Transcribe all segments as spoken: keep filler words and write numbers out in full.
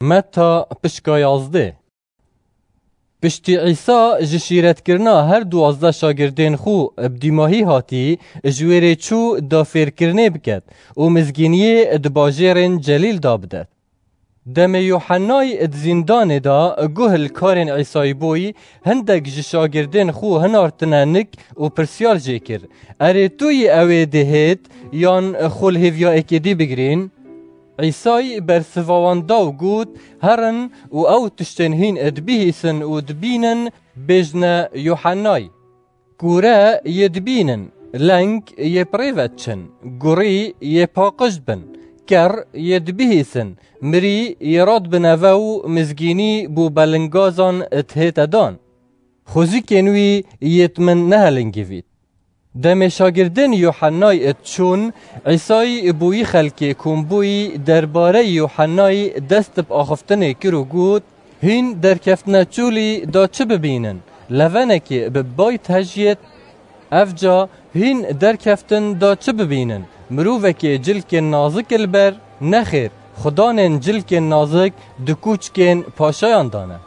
Meta pişka yazdê. Piştî Îsa ji şîretkirina her duwazdeh şagirdên xwe bi dîmahî hatî, ji wê rê çû da fêrkirinê biket û mizgîniyê di bajêrên Celîl da bidet. Demê Yuhennay di zîndanê de guh li karên Îsayî bûyî, hindek ji şagirdên xwe hinartine nik û pirsyar jê kir, Erê tu yî ew ê dê hêt, yan xwe li hêviya êkê dî bigirîn? Îsay bersiva wan da û got, Herin û ew tiştên hîn dibihîsin û dibînin, bêjne Yuhennay. Kûre yê dibînin, leng yê pirê ve diçin, gurî yê paqij dibin, ker yê dibihîsin, mirî yê radibine ve û mizgînî bo belingazan dihête dan. Xwezikên wî yê di min nehelingivît. Demê şagirdên Yuhennay diçûn, Îsay bo wî xelkê kombûyî derbareyî Yuhennay dest bi axiftinê kir û got, Hîn derkeftine çûlî da çi bibînin? Levenekê bi bay dihejiyêt? Evca hîn derkeftin da çi bibînin? Mirovekê cilkên nazik li ber? Nexêr, xudanên cilkên nazik di kûçkên paşayan de ne.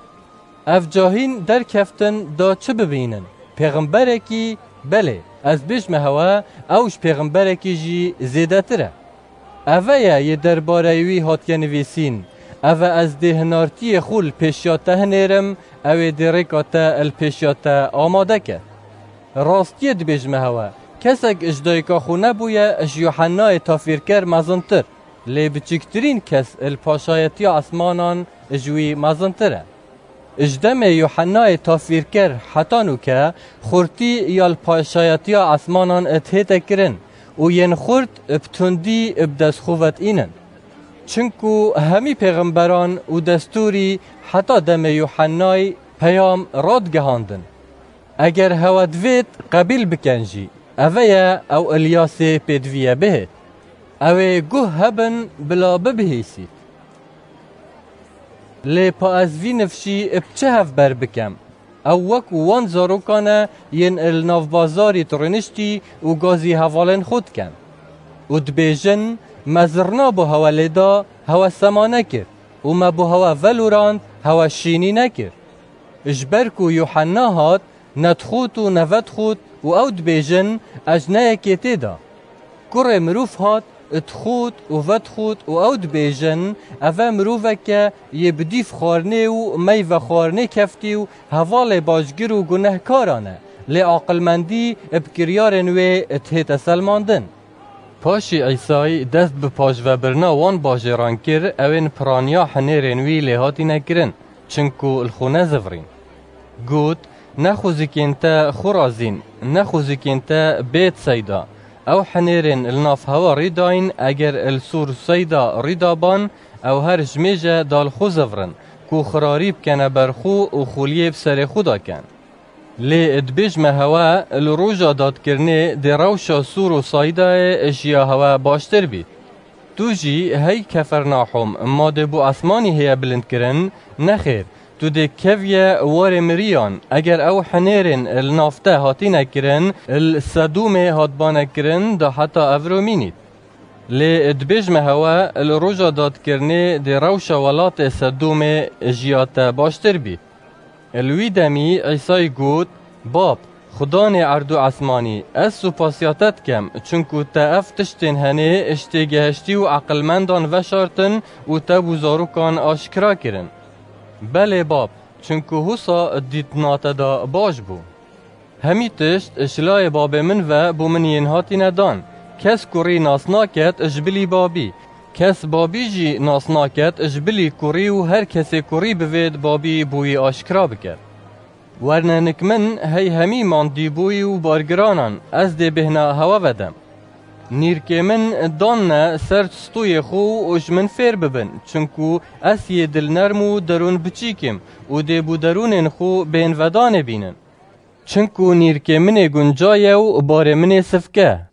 Evca hîn derkeftin da çi bibînin? Pêxemberekî? Belê, ez bêjme hewe, ew ji pêxemberekî jî zêdetir e. Eve ye yê derbareyê wî hatiye nivîsîn, Eve ez dê hinartiyê xwe li pêşiya te hinêrim, ew ê dê rêka te li pêşiya te amade ke. Rastiyê dibêjime hewe, kesek ji dayika xwe nebûye ji Yuhennayê tafîrker mezintir, lê biçûktirîn kes li paşayetiya esmanan ji wî mezintir e. Ji demê Yuhennayê tafîrker heta nûke xurtî ya li paşayetiya esmanan dihête kirin û yên xurt bi tundî bi dest xwe ve diînin. Çinku hemî pêxemberan û destûrî heta demê Yuhennayê peyam radigihandin. Eger hewe divêt qebîl bikin jî, eve ye ew Îlyasê pêdiviye bihêt. Ew ê guh hebin bila bibihîsît. Lê pa ez vî nifşî bi çi hevber bikem? Ew wekû wan zarokan e yên li nav bazarî dirûniştî û gazî hevalên xwe dikin. Û dibêjin, Me zirna bo hewe lê da, hewe sema nekir û me bo hewe velorand, hewe şînî nekir. Ji ber ku Yuhenna hat, ne dixwit û ne vedixwit û ew dibêjin, Ez ne yekê tê de. Kurê mirov hat, dixwit û vedixwit û ew dibêjin, Eve miroveke yê bi dîv xwarinê û meyve xwarinê keftî û hevalê başgir û gunehkaran e, lê aqilmendî bi kiryarên wê dihête selmandin. Paşî Îsay dest bi paşvebirina wan bajêran kir, ew ên piraniya hinêrên wî lê hatîne kirin, çinku li xwe nezivirîn. Got, Ne xwezikên te xwe razîn, ne xwezikên te bêt seyda. Ew hinêrên li nav hewa rîdayîn, eger li sor seyda rîdaban, ew her ji mêje da li xwe zivirin, ku xirarî bikene ber xwe û xuliyê bi serê xwe de ken. Lê dibêjme hewe, li roja dadkirinê dê rewşa sor û saydayê ji ya hewe baştir bît. Tu jî hey Kefernahûm, ma dê bo esmanî heye bilind kirin? Nexêr, tu dê keviye warê miriyan, eger ew hinêrên li nav te hatîne kirin, li Sedûmê hatbane kirin, da heta evro mînît. Lê dibêjme hewe, li roja dadkirinê dê rewşa welatê Sedûmê ji ya te baştir bît. Li wî demî Îsay got, Bab, Xudanê erd û esmanî, ez supasiya te dikem, çinku te ev tiştên henê ji têgeheştî û eqilmendan veşartin û te bo zarokan aşkira kirin. Belê Bab, çinku husa dîtina te de baş bû. Hemî tişt ji layê Babê min ve bo min yên hatîne dan. Kes kurî nas naket ji bilî Babî. Kes Babî jî nas naket ji bilî kurî û her kesê kurî bivêt Babî bo wî aşkira biket. Werne nik min hey hemî mandîbûyî û bargiranan, ez dê bêhna hewe vedem. Nîrkê min danne ser stûyê xwe û ji min fêr bibin, çinku ez yê dilnerm û derûn biçîk im û dê bo derûnên xwe bên vedanê bînin. Çinku nîrkê min ê gunca ye û barê min ê sivke.